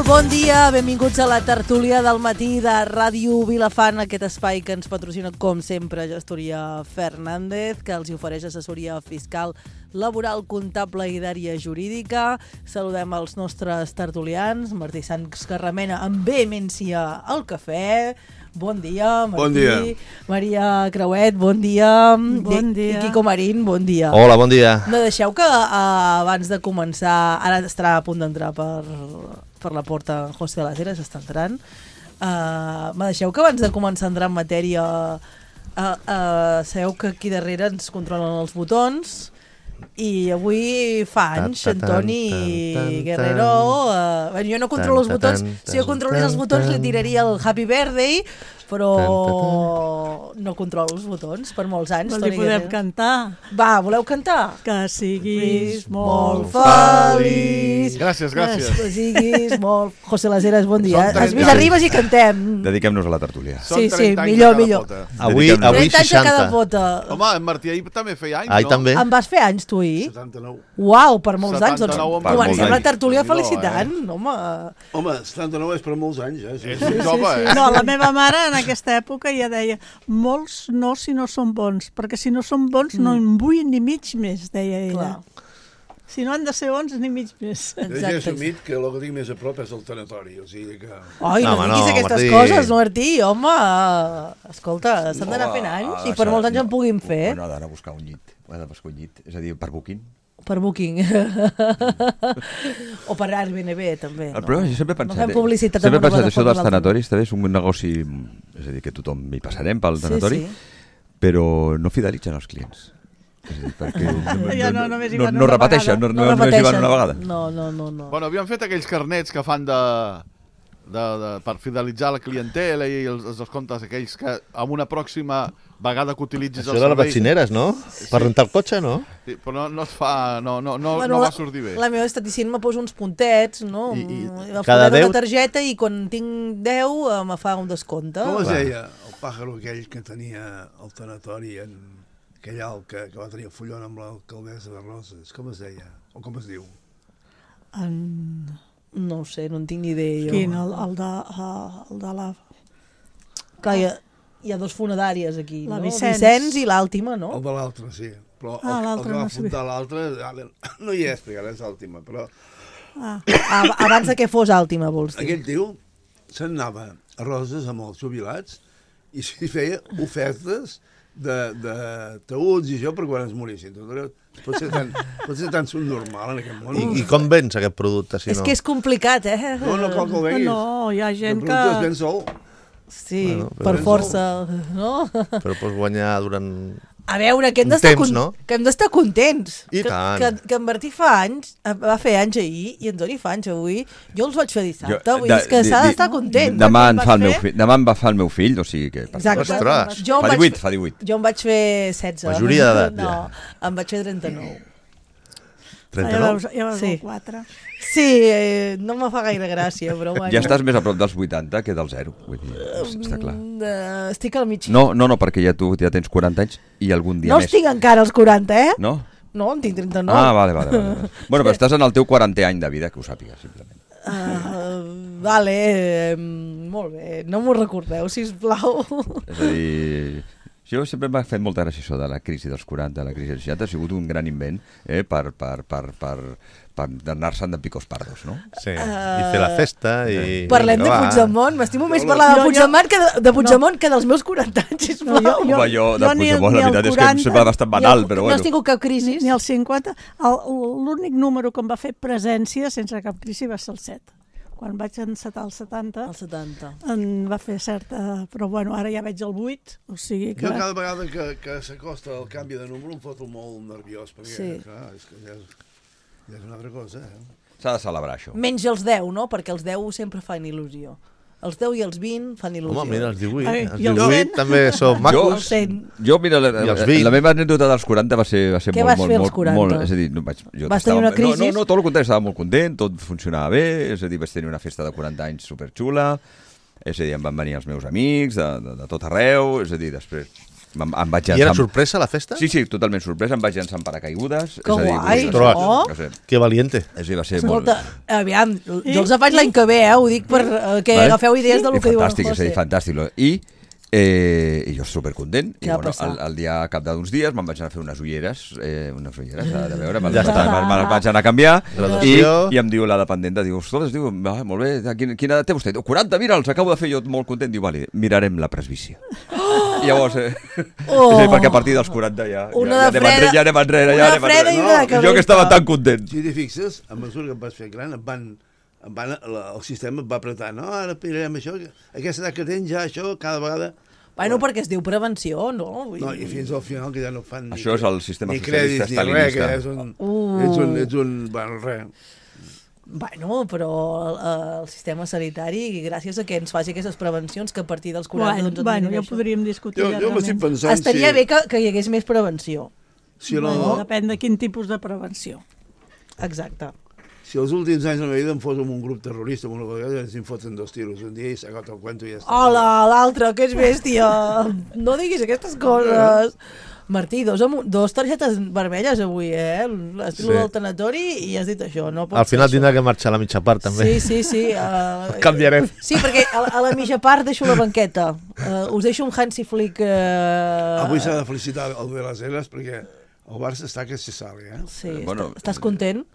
Bon dia, benvinguts a la tertúlia del matí de Ràdio Vilafant, aquest espai que ens patrocina, com sempre, Gestoria Fernández, que els ofereix assessoria fiscal, laboral, comptable i d'àrea jurídica. Saludem els nostres tertulians, Martí Sans, que remena amb vehemència al cafè. Bon dia, Martí. Bon dia. Maria Creuet, bon dia. Bon dia. I Quico Marín, bon dia. Hola, bon dia. No deixeu que abans de començar, ara estarà a punt d'entrar per la porta José de las Heras, està entrant. Me deixeu que abans de començar a entrar en matèria sabeu que aquí darrere ens controlen els botons i avui fa anys Antoni Guerrero jo no controlo els botons, si jo controlés els botons li tiraria el Happy Birthday, però no controlo els botons per molts anys. Li podem cantar. Va, voleu cantar? Que siguis molt feliç. Gràcies. Que siguis molt... José Las Heras, bon dia. Has vist, arribes i cantem. Dediquem-nos a la tertúlia. Sí, millor. Avui 30 anys a 60. cada pota. Home, en Martí ahir també feia anys, Ai, no? també. Em vas fer anys, tu, ahir? 79. Uau, per molts anys. 79 Doncs per comencem molts la anys. tertúlia Déu-n'hi-do, felicitant, home. Home, 79 és per molts anys, eh? És jove, eh? No, la meva mare en aquesta època ja deia molts no si no són bons, perquè si no són bons no en vull ni mig més, deia ella. Clar. Si no han de ser bons ni mig més. Jo ja he Exacte. assumit que el que tinc més a prop és el tanatori, o sigui que... Ai, no Home, diguis no, aquestes Martí. coses, Martí, home. Escolta, s'han d'anar fent anys i per molts anys en puguin fer. No, ha d'anar a buscar un llit. Ha de buscar un llit, és a dir, per Booking. Per Booking. O per Airbnb, també. El problema, jo sempre he pensat... No fem publicitat sempre he amb una pensat això plataforma dels a l'altra. tanatoris, també és un negoci, és a dir, que tothom hi passarem pel tanatori, però no fidelitzen els clients. És a dir, perquè Ja no, només hi van no una repeteixen, vegada. no només hi van una vegada. No. Bueno, havíem fet aquells carnets que fan per fidelitzar la clientela i els comptes aquells que amb una pròxima vegada que utilitzis Això el de les servei... vaccineres, no? Per rentar el cotxe, no? Sí, però no es fa... No va sortir bé. La meva estaticina me posa uns puntets, no? I El cada fuller de 10? la targeta i quan tinc 10 me fa un descompte. Com es deia el pàjaro aquell que tenia el tanatori en aquell alt que va tenir el follon amb l'alcaldessa de Roses? Com es deia? O com es diu? No ho sé, no en tinc ni idea jo. Quin? El de la... Clar, hi ha dos funeràries aquí, La no? Vicenç. I l'Àltima, no? El de l'altre, sí. Però el l'altre que va no sabia. fundar l'altre no hi és, perquè ara és l'última, però Abans de que fos Àltima, vols dir? aquell tio se'n anava a Roses amb els jubilats i s'hi feia ofertes de taüts i això per quan es morissin. Pot ser tan subnormal en aquest món. I com vens aquest producte, si És no? que és complicat, eh? No cal que ho veguis. No, hi ha gent El producte es que... ven sol. Sí, Bueno, per però- força, no? Però pots guanyar durant... A veure, que hem Un d'estar temps, no? que hem d'estar contents. I tant. Que en Martí fa anys, va fer anys ahir, i en Toni fa anys avui. Jo els vaig fer dissabte, vull dir, és que s'ha d'estar content. Demà Quan en fa el vas meu fer? fill, demà em va fer el meu fill, o sigui que... Exacte. Ostres. Jo em Fa vaig 18, fa 18. Jo em vaig fer 16. Majoria d'edat, No, ja. em vaig fer 39. Ja 39? veus Sí. el 4. Sí, no me fa gaire gràcia, però bueno. Ja estàs més a prop dels 80 que del 0, vull dir, està clar. Estic al mig. No, perquè ja tu ja tens 40 anys i algun dia No més. estic encara als 40, eh? No? No, en tinc 39. Ah, vale. Bueno, però estàs en el teu 40è any de vida, que ho sàpigues, simplement. Vale, molt bé. No m'ho recordeu, sisplau. És a dir, jo sempre m'ha fet molta gràcia això de la crisi dels 40, la crisi dels 60, ha sigut un gran invent per anar-se'n de picos pardos, no? Sí, i fer la festa i... Parlem de Puigdemont. M'estimo més parlar de Puigdemont que dels meus 40 anys, sisplau. Home, jo de ni Puigdemont, la el veritat és que 40, sempre bastant banal, però No bueno. has tingut cap crisi? Ni el 50. L'únic número que em va fer presència sense cap crisi va ser el 7. Quan vaig encetar el 70, El 70. em va fer certa... Però bueno, ara ja veig el 8, o sigui que... Jo cada vegada que s'acosta el canvi de número em foto molt nerviós, perquè Sí. clar, és que ja és una altra cosa, eh? S'ha de celebrar això. Menys els 10, no? Perquè els 10 sempre fan il·lusió. Els 10 i els 20 fan il·lusió. Home, mira, els 18. Ai, Els i el 18 cent? també són Els macos. 100. Jo, mira, I els 20. la meva anècdota dels 40 va ser Què vas fer als 40? és a dir, jo Vas tenir una crisi? No, tot el contrari, estava molt content, tot funcionava bé, és a dir, vaig tenir una festa de 40 anys superxula, és a dir, em van venir els meus amics de tot arreu, és a dir, després Em vaig I llançar... era sorpresa la festa? Sí, totalment sorpresa. Em vaig llançar en paracaigudes. Que guai, això! Que valiente. Va ser Escolta, aviam, jo els faig l'any que ve, ho dic per que agafeu idees del que diu el José. Fantàstic, fantàstic. I jo supercontent. I bueno, el dia cap d'uns dies me'n vaig anar a fer unes ulleres, a de veure, me'n vaig anar a canviar i em diu la dependenta, diu, ostres, molt bé, quina edat té vostè? 40, mira, els acabo de fer jo molt content. Diu, vale, mirarem la presbícia. I llavors, perquè a partir dels 40 ja anem enrere. I jo que estava tan content. Si t'hi fixes, a mesura que em vas fer gran, el sistema et va apretar, no, ara pillarem això, aquesta edat que tens ja això, cada vegada... Bueno, perquè es diu prevenció, no? No, i fins al final que ja no fan això és el sistema ni crèdits ni res, que ets un... Bueno, res. Bueno, però el sistema sanitari, gràcies a que ens faci aquestes prevencions, que a partir dels 40... Bueno, ja ho podríem discutir. Jo m'estic pensant... Estaria bé que hi hagués més prevenció. Depèn de quin tipus de prevenció. Exacte. Si els últims anys de la meva vida em fos amb un grup terrorista, amb una vegada ens en foten 2 tiros un dia i s'ha acabat el cuento i ja està. Hola, l'altre, que és bèstia. No diguis aquestes coses. Martí, dos targetes vermelles avui, l'estil del tanatori i has dit això. No al final tindrà que marxar a la mitja part, també. Sí. Canviarem. Sí, perquè a la mitja part deixo la banqueta. Us deixo un Hansi Flick... Avui s'ha de felicitar el de les Eres perquè el Barça està que se sale, Sí, estàs content?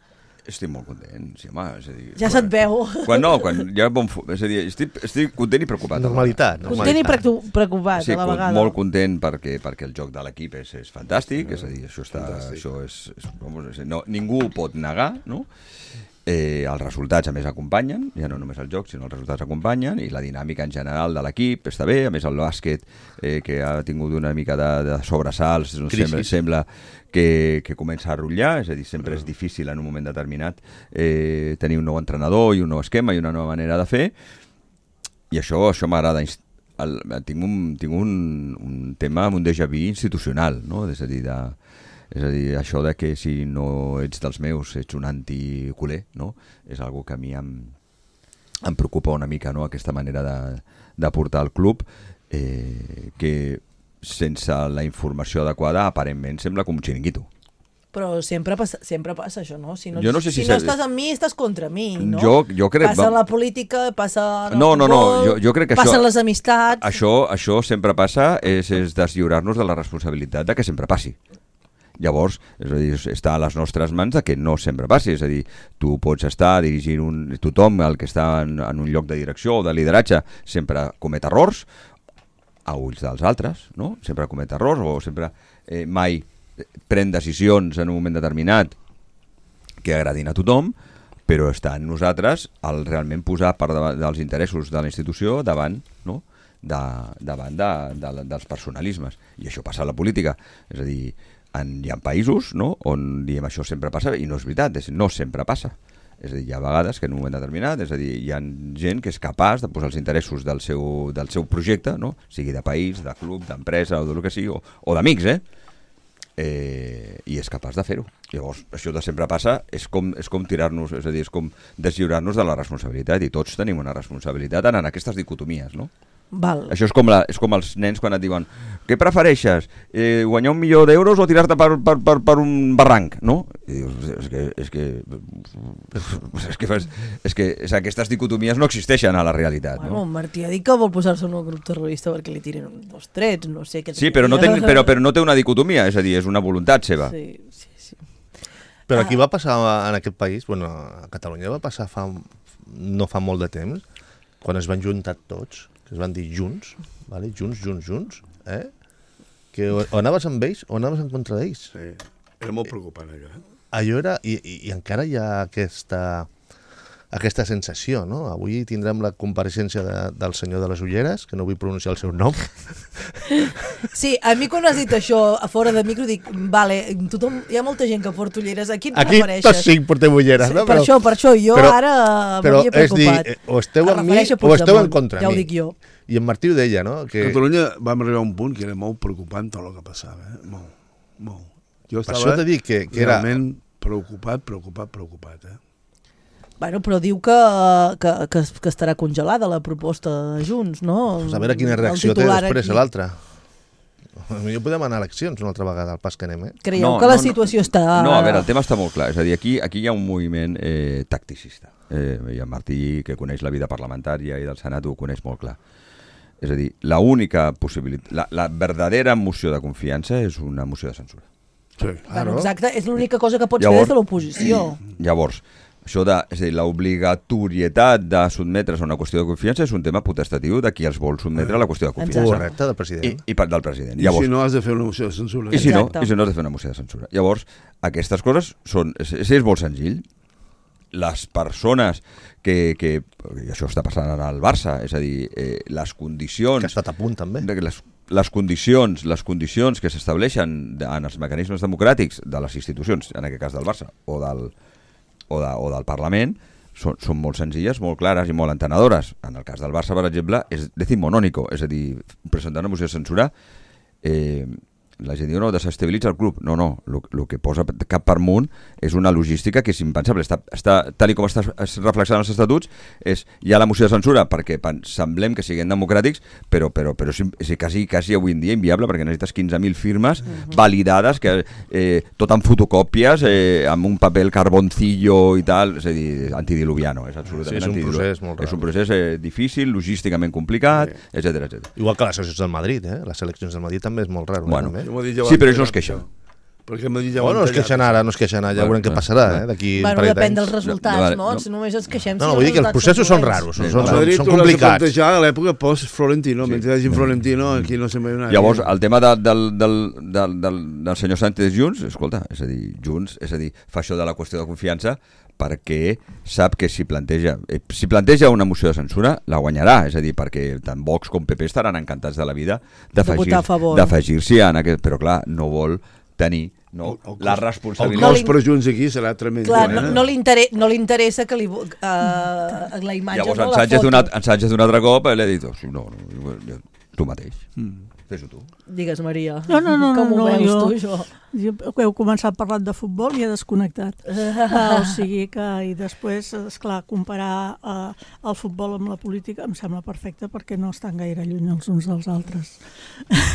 Estic molt content, sí, home. És a dir, ja se't veu. Quan hi ha és a dir, estic content i preocupat. Normalitat. Content i preocupat a la vegada. Sí, molt content perquè el joc de l'equip és fantàstic, és a dir, ningú ho pot negar, no? Els resultats a més acompanyen, ja no només el joc sinó els resultats acompanyen, i la dinàmica en general de l'equip està bé, a més el bàsquet que ha tingut una mica de sobresalts, sembla que comença a rotllar, és a dir, sempre és difícil en un moment determinat tenir un nou entrenador i un nou esquema i una nova manera de fer, i això m'agrada. Tinc un tema amb un déjà vu institucional, no? És a dir, això de que si no ets dels meus ets un anticuler, no? És algo que a mi em preocupa una mica, no? Aquesta manera de portar el club, que sense la informació adequada aparentment sembla com un xiringuito. Però sempre passa això, no? Si no estàs amb mi, estàs contra mi, no? Jo crec... Passa la política, passa... No, jo crec que passen les amistats... Això sempre passa, és deslliurar-nos de la responsabilitat de que sempre passi. Llavors, és a dir, està a les nostres mans de que no sempre passi, és a dir, tu pots estar dirigint tothom, el que està en un lloc de direcció o de lideratge, sempre comet errors a ulls dels altres, no? Sempre comet errors o sempre mai pren decisions en un moment determinat que agradin a tothom, però està en nosaltres el realment posar per davant dels interessos de la institució davant, no? davant dels personalismes. I això passa a la política, és a dir, hi ha països, no?, on diem això sempre passa, i no és veritat, no sempre passa. És a dir, hi ha vegades que en un moment determinat, és a dir, hi ha gent que és capaç de posar els interessos del seu projecte, no?, sigui de país, de club, d'empresa o del que sigui, o d'amics, i és capaç de fer-ho. Llavors, això de sempre passa és com tirar-nos, és a dir, és com deslliurar-nos de la responsabilitat, i tots tenim una responsabilitat en aquestes dicotomies, no? Val. Això és com els nens quan et diuen què prefereixes, guanyar €1.000.000 o tirar-te per un barranc, no? I dius, és que aquestes dicotomies no existeixen a la realitat. Bueno, no? Martí ha dit que vol posar-se en un grup terrorista perquè li tiren 2 trets, no sé què... Sí, però no té una dicotomia, és a dir, és una voluntat seva. Sí. Però aquí va passar en aquest país, bueno, a Catalunya va passar no fa molt de temps, quan es van juntar tots, que es van dir junts, vale? junts, que o anaves amb ells o anaves en contra d'ells. Sí, era molt preocupant allò. Allò era, i encara hi ha aquesta sensació, no? Avui tindrem la compareixença del senyor de les ulleres, que no vull pronunciar el seu nom. Sí, a mi quan has dit això a fora de micro dic, vale, hi ha molta gent que porta ulleres, a qui et refereixes? Aquí tots 5 portem ulleres, sí, no? Per això, jo ara m'havia preocupat. És dir, o esteu amb mi o esteu en contra mi. Ja ho dic jo. I en Martí ho deia, no? Que... Catalunya vam arribar a un punt que era molt preocupant tot el que passava, molt. Jo estava per això t'he dit que realment preocupat, Bueno, però diu que estarà congelada la proposta de Junts, no? Pues a veure quina reacció té després l'altre. Potser podem anar a eleccions una altra vegada, al pas que anem, Creieu que la situació està... No, a veure, el tema està molt clar. És a dir, aquí hi ha un moviment tacticista. I en Martí, que coneix la vida parlamentària i del Senat, ho coneix molt clar. És a dir, l'única possibilitat... La verdadera moció de confiança és una moció de censura. Sí, Bueno, exacte, és l'única cosa que pots fer des de l'oposició. Llavors, això de, és a dir, l'obligatorietat de sotmetre's a una qüestió de confiança és un tema potestatiu de qui els vol sotmetre a la qüestió de confiança. Correcte, del president. Del president. Llavors, I si no has de fer una moció de censura. I si no has de fer una moció de censura. Llavors, aquestes coses són... És molt senzill. Les persones que això està passant ara al Barça, és a dir, les condicions... Que ha estat a punt, també. Les condicions que s'estableixen en els mecanismes democràtics de les institucions, en aquest cas del Barça, o del Parlament, són molt senzilles, molt clares i molt entenedores. En el cas del Barça, per exemple, és decimonònico, és a dir, presentar una moció de censura... La gent diu, no, desestabilitza el club. No, el que posa cap per munt és una logística que és impensable. Està tal com està reflexant els estatuts, hi ha la moció de censura perquè semblem que siguem democràtics, però és quasi avui en dia inviable perquè necessites 15.000 firmes validades, tot amb fotocòpies, amb un paper carboncillo i tal, és a dir, antidiluviano. És absolutament un procés molt raro. És un procés difícil, logísticament complicat, etc. Igual que les eleccions del Madrid, Les eleccions del Madrid també és molt raro. Bueno, sí, però ells no es queixen. Perquè ja no es queixen ara, ja veurem què passarà, d'aquí un parell d'anys. Depèn dels resultats, no? Només ens queixem. No, vull dir que els processos són raros, són complicats. Plantejar a l'època post-Florentino, mentre hi hagi Florentino, aquí no se'n veu nadie. Llavors, el tema del senyor Sánchez Junts, escolta, és a dir, fa això de la qüestió de confiança perquè sap que si planteja una moció de censura, la guanyarà, és a dir, perquè tant Vox com PP estaran encantats de la vida d'afegir-s'hi en aquest... Però clar, no vol tenir la responsabilitat... El cost per Junts aquí serà tremend. Clar, no li interessa que la imatge llavors, no la foto. Llavors en Sánchez un altre cop li ha dit, no, tu mateix. Fes-ho tu. Digues, Maria. No, com ho veus tu, això? Jo heu començat parlant de futbol i he desconnectat. O sigui que, i després, esclar, comparar el futbol amb la política em sembla perfecte perquè no estan gaire lluny els uns dels altres.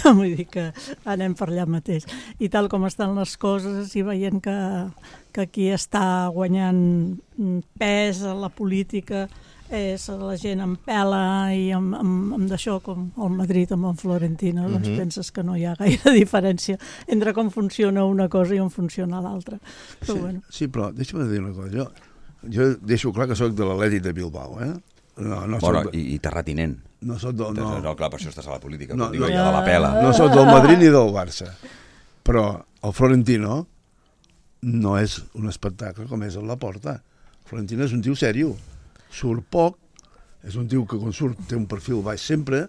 Vull dir que anem per allà mateix. I tal com estan les coses i veient que qui està guanyant pes a la política és la gent amb pela i amb d'això, com el Madrid amb el Florentino, doncs penses que no hi ha gaire diferència entre com funciona una cosa i on funciona l'altra. Sí, però deixa'm dir una cosa. Jo deixo clar que sóc de l'Atlètic de Bilbao, i terratinent. No soc del... No, clar, per això estàs a la política, de la pela. No soc del Madrid ni del Barça. Però el Florentino no és un espectacle com és a la Porta. El Florentino és un tio sèrio. Surt poc, és un tio que quan surt té un perfil baix sempre,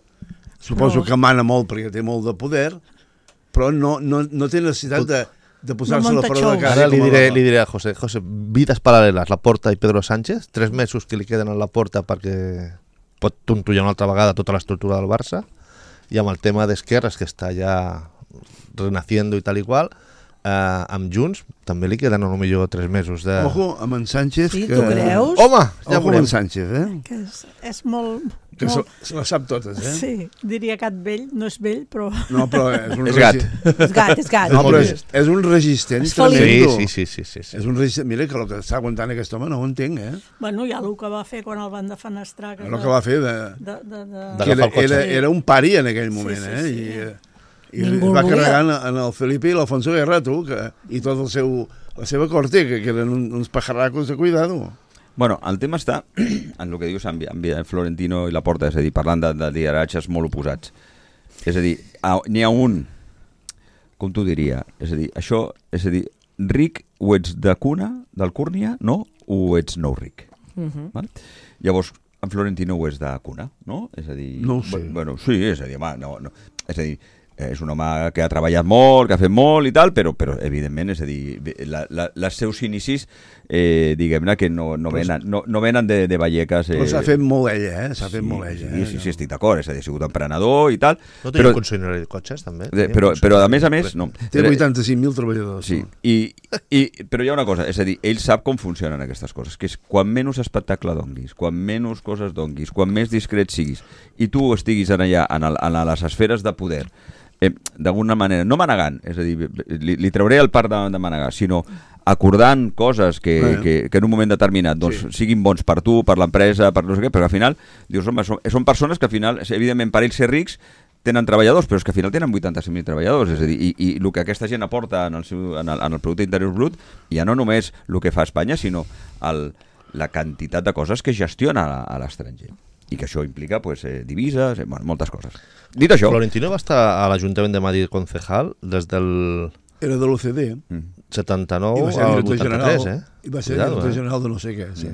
suposo que mana molt perquè té molt de poder, però no té necessitat de posar-se la fora de casa. Ara li diré a José, vides paral·leles, la Porta i Pedro Sánchez, 3 mesos que li queden a la Porta perquè pot tontollar una altra vegada tota l'estructura del Barça, i amb el tema d'esquerres que està ja renaciendo i tal i qual, amb Junts també li queden potser 3 mesos de... Ojo amb en Sánchez. Sí, tu creus? Home, ja ojo amb en Sánchez, Que és molt... Que se la sap totes, Sí, diria gat vell, no és vell, però... No, però és un... És gat. És gat. No, però és un resistent tremendo. Sí. És un resistent... Mira, que el que està aguantant aquest home no ho entenc, Bueno, ja el que va fer quan el van defenestrar... El que va fer era un pari en aquell moment, I es va carregar en el Felipe i l'Alfonso Guerra, i tot la seva corte, que eren uns pajarracos de cuidado. Bueno, el tema està en el que dius en Florentino i Laporta, és a dir, parlant de lideratges molt oposats. És a dir, n'hi ha un, com t'ho diria, és a dir, ric o ets de cuna, d'Alcúrnia, no? O ets nou ric. Val? Llavors, en Florentino ho és de cuna, no? És a dir... No ho sé. Bueno, sí, és a dir, és a dir, és un home que ha treballat molt, que ha fet molt i tal, però evidentment, és a dir, els seus inicis, diguem-ne que no venen de Vallecas. Però s'ha fet molt ella, S'ha fet molt ella. Sí, estic d'acord, és a dir, ha sigut emprenedor i tal. No tenia concessionari de cotxes, també? Però a més, no. Té 85.000 treballadors. Sí, però hi ha una cosa, és a dir, ell sap com funcionen aquestes coses, que és quan menys espectacle donguis, quan menys coses donguis, quan més discret siguis, i tu estiguis allà, en les esferes de poder, d'alguna manera, no manegant, és a dir, li trauré el part de manegar, sinó acordant coses que en un moment determinat siguin bons per tu, per l'empresa, per no sé què, però al final dius, home, són persones que al final, evidentment, per ells ser rics, tenen treballadors, però és que al final tenen 85.000 treballadors, és a dir, i el que aquesta gent aporta en el Producte Interior Brut, ja no només el que fa Espanya, sinó la quantitat de coses que gestiona a l'estranger. I que això implica divises, moltes coses. Dit això... Florentino va estar a l'Ajuntament de Madrid concejal des del... Era de l'OCDE. 79 al 83, I va ser director general de no sé què, sí.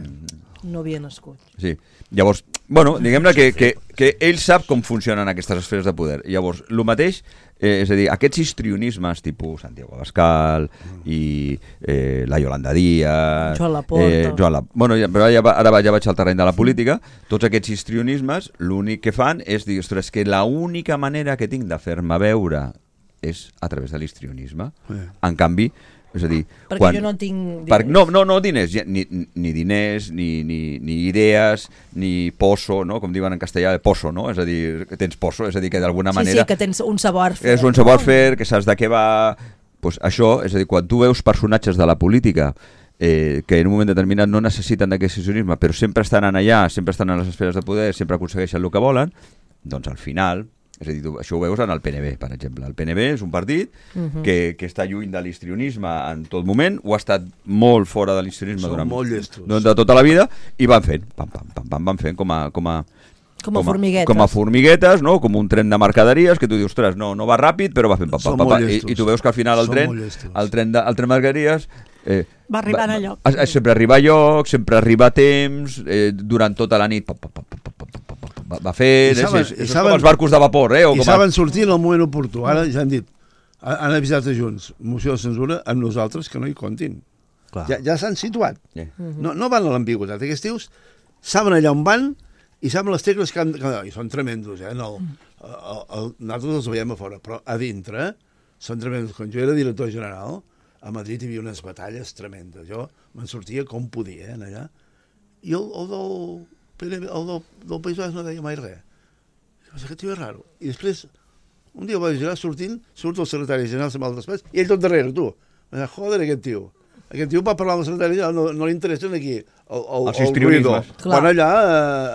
No havia nascut. Sí. Llavors, diguem-ne que ell sap com funcionen aquestes esferes de poder. Llavors, el mateix, és a dir, aquests histrionismes tipus Santiago Abascal i la Yolanda Díaz... Joan Laporta. Però ara ja vaig al terreny de la política. Tots aquests histrionismes, l'únic que fan és dir, ostres, que l'única manera que tinc de fer-me veure és a través de l'histrionisme. En canvi, és a dir... Perquè jo no tinc diners. No diners, ni diners, ni idees, ni poso, no? Com diuen en castellà, poso, no? És a dir, que tens poso, és a dir, que d'alguna manera... Sí, que tens un savoir-fer. És un savoir-fer, que saps de què va... Pues això, és a dir, quan tu veus personatges de la política que en un moment determinat no necessiten d'aquest histrionisme, però sempre estan allà, sempre estan a les esferes de poder, sempre aconsegueixen el que volen, doncs al final... És a dir, això ho veus en el PNB, per exemple. El PNB és un partit que està lluny de l'histrionisme en tot moment, ho ha estat molt fora de l'histrionisme durant tota la vida, i van fent, van fent com a formiguetes. Com a formiguetes, no? Com un tren de mercaderies, que tu dius, ostres, no va ràpid, però va fent i tu veus que al final el tren de mercaderies... va arribant a lloc. Sempre arriba a lloc, sempre arriba a temps, durant tota la nit va fent, és com els barcos de vapor. I saben sortir en el moment oportú. Ara ja han dit, han avisat a Junts, moció de censura, amb nosaltres que no hi comptin. Ja s'han situat. No van a l'ambigüitat. Aquests tios saben allà on van i saben les tecles que han... I són tremendos, nosaltres els veiem a fora, però a dintre són tremendos. Quan jo era director general, a Madrid hi havia unes batalles tremendes. Jo me'n sortia com podia, allà. I el del País Basc no deia mai res. Aquest tio és raro. I després, un dia vaig girar sortint, surt el secretari general, se'm va al despatx, i ell tot darrere, tu. Joder, aquest tio. Aquest tio va parlar amb el secretari general, no li interessen aquí els histrionismes. Quan allà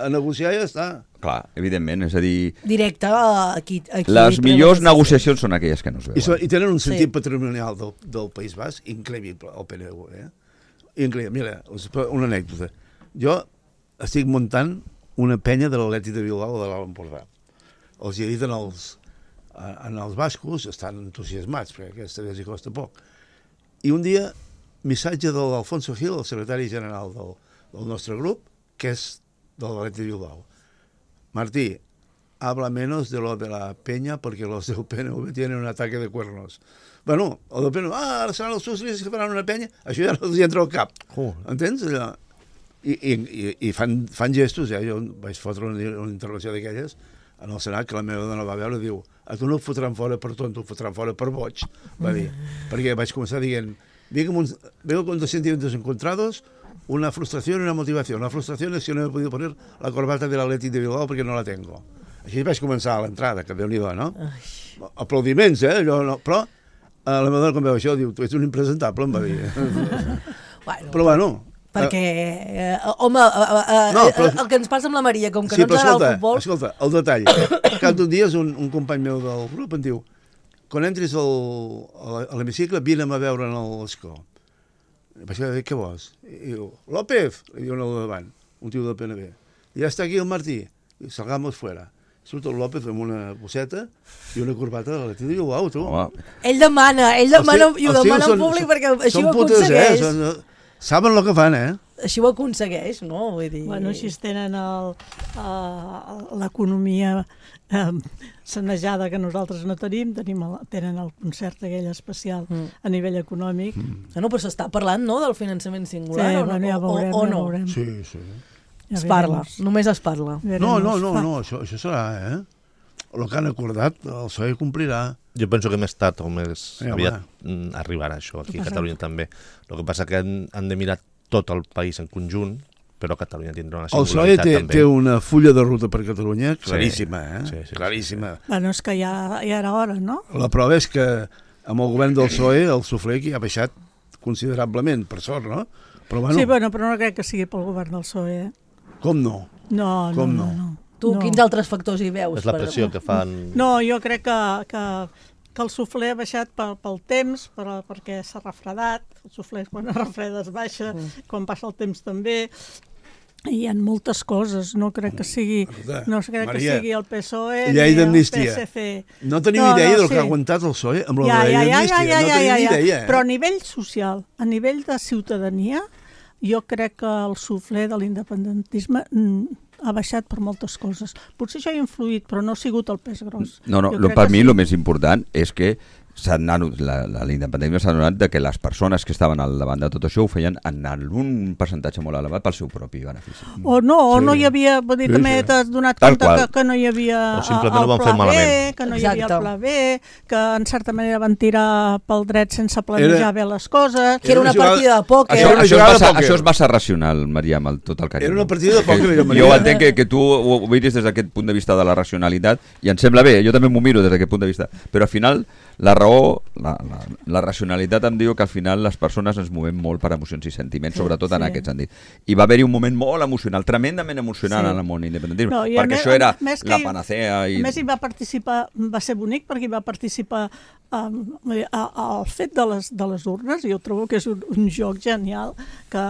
a negociar ja està. Clar, evidentment, és a dir... Directe, aquí les millors negociacions són aquelles que no es veuen. I tenen un sentit patrimonial del País Basc increïble, el PNV. Increïble. Mira, una anècdota. Jo estic muntant una penya de l'Atlètic de Bilbao de l'Alt Empordà. Els hi he dit en els bascos, estan entusiasmats, perquè aquesta vegada hi costa poc. I un dia, missatge de l'Alfonso Gil, el secretari general del nostre grup, que és de l'Atlètic de Bilbao. Martí, habla menos de lo de la peña porque los del PNV tienen un ataque de cuernos. Bueno, el del PNV, ara seran els socialistes que faran una penya, això ja no els hi entra al cap. Entens? Allò? I fan gestos, jo vaig fotre una intervenció d'aquelles en el Senat, que la meva dona va veure, diu, a tu no et fotran fora per tonto, et fotran fora per boig, va dir. Perquè vaig començar dient, vengo con 2 sentimientos encontrados, una frustración y una motivación. La frustración es que no he podido poner la corbata del Atlètic de Bilbao perquè no la tengo. Així vaig començar a l'entrada, que Déu-n'hi-do, no? Aplaudiments, però la meva dona quan veu això diu, tu ets un impresentable, em va dir. Però bueno... Perquè, home, el que ens passa amb la Maria, com que no ens agrada el futbol... Escolta, el detall. Cap d'un dia un company meu del grup em diu, quan entris a l'hemicicle, vine'm a veure en l'escó. Vaig dir, què vols? I diu, López, li diu al davant, un tio del PNB. Ja està aquí el Martí. Salgamos fuera. Surt el López amb una bosseta i una corbata de l'Atlètic de Bilbao, tu. Ell demana i ho demana en públic perquè així ho aconsegueix. Saben el que fan, Així ho aconsegueix, no? Vull dir... Bueno, així tenen l'economia sanejada que nosaltres no tenim, tenen el concert aquell especial a nivell econòmic. No, però s'està parlant, no?, del finançament singular, ja veurem, o no? Sí. Es parla, només es parla. No, això serà, el que han acordat, el PSOE complirà. Jo penso que més tard o més aviat arribarà això aquí a Catalunya també. El que passa que han de mirar tot el país en conjunt però Catalunya tindrà una El PSOE singularitat també. té una fulla de ruta per Catalunya claríssima, Sí. claríssima. Bueno, és que ja era hora, no? La prova és que amb el govern del PSOE el suflé ha baixat considerablement, per sort, no? Però bueno, Sí, bueno, però no crec que sigui pel govern del PSOE. com no? No, Com no, no? no. Tu, no. quins altres factors hi veus? És la pressió que fan... No, jo crec que el suflé ha baixat pel temps, perquè s'ha refredat. El suflé quan es refreda es baixa, quan passa el temps també. Hi ha moltes coses, no crec que sigui, Maria, que sigui el PSOE llei ni el d'amnistia. PSC. No tenim idea del que ha aguantat el PSOE amb la llei d'amnistia. No tenim idea. Però a nivell social, a nivell de ciutadania, jo crec que el suflé de l'independentisme ha baixat per moltes coses. Potser això ha influït, però no ha sigut el pes gros. No, per mi el més important és que l'independentisme s'ha donat de que les persones que estaven al davant de tot això ho feien en un percentatge molt elevat pel seu propi benefici. O no hi havia, vull dir, també t'has donat compte que no hi havia o simplement el ho van fer pla B, malament. que no hi havia el pla B, que en certa manera van tirar pel dret sense planejar bé les coses. Que era una partida de pòquer. Això és massa racional, Maria, amb tot el carinyo. Era una partida de pòquer. Jo entenc que tu ho miris des d'aquest punt de vista de la racionalitat i em sembla bé, jo també m'ho miro des d'aquest punt de vista, però al final la raó, la racionalitat em diu que al final les persones ens movem molt per emocions i sentiments, sobretot en aquest sentit. I va haver-hi un moment molt emocional, tremendament emocional en el món independentisme, perquè això era la panacea. A més, hi va participar, va ser bonic perquè hi va participar al fet de les urnes. Jo trobo que és un joc genial, que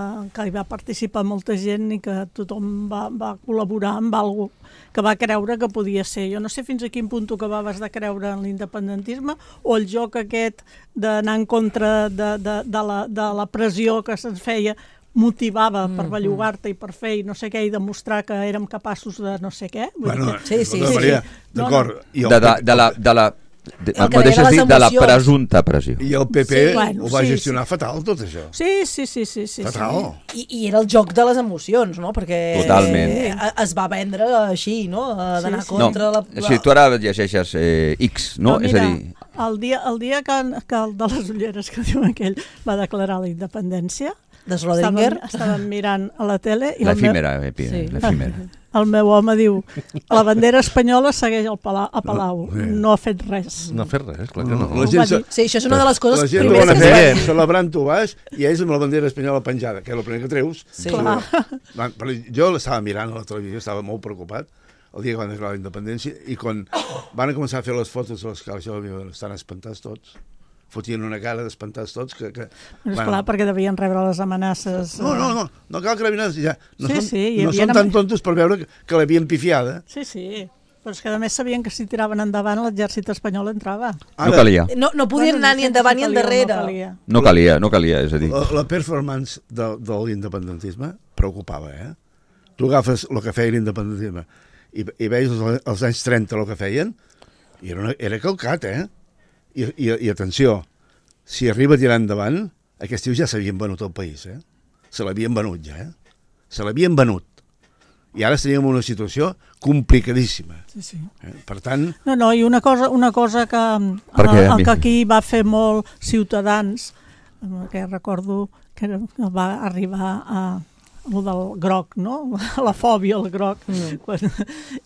hi va participar molta gent i que tothom va col·laborar amb alguna cosa que va creure que podia ser. Jo no sé fins a quin punt tu acabaves de creure en l'independentisme o el joc aquest d'anar en contra de la pressió que se'ns feia motivava per bellugar-te i per fer i no sé què i demostrar que érem capaços de no sé què. Bueno, sí. Maria, d'acord. De la presumpta pressió. I el PP ho va gestionar fatal, tot això. Sí. Fatal. I era el joc de les emocions, no? Perquè totalment. Es va vendre així, no? D'anar contra la... Sí, tu ara llegeixes X, no? Mira, és a dir... el dia que el de les ulleres, que diu aquell, va declarar la independència, de Schrödinger, estàvem mirant a la tele i l'efímera. El meu home diu, la bandera espanyola segueix a Palau, no ha fet res. No ha fet res, clar que no. Sí, això és una de les coses primeres que es veien. Celebrant-ho baix i ells amb la bandera espanyola penjada, que és el primer que treus. Sí. Jo l'estava mirant a la televisió, estava molt preocupat el dia que van declarar la independència i quan van començar a fer les fotos de les cares, estan espantats tots. Fotien una cara d'espantats tots que esclar, perquè devien rebre les amenaces. No cal que l'havien ja. No sí, són tan tontos per veure que l'havien pifiada. Sí, però és que a més sabien que si tiraven endavant l'exèrcit espanyol entrava. No calia. No podien anar ni endavant ni endarrere. No calia, és a dir. La performance de l'independentisme preocupava, Tu agafes el que feia l'independentisme i veus els anys 30 el que feien i era calcat, I atenció, si arriba a tirar endavant, aquests tios ja s'havien venut al país, Se l'havien venut ja, Se l'havien venut. I ara estaríem en una situació complicadíssima. Sí. Per tant... No, i una cosa que aquí va fer molt Ciutadans, que recordo que va arribar a el del groc, no? La fòbia al groc,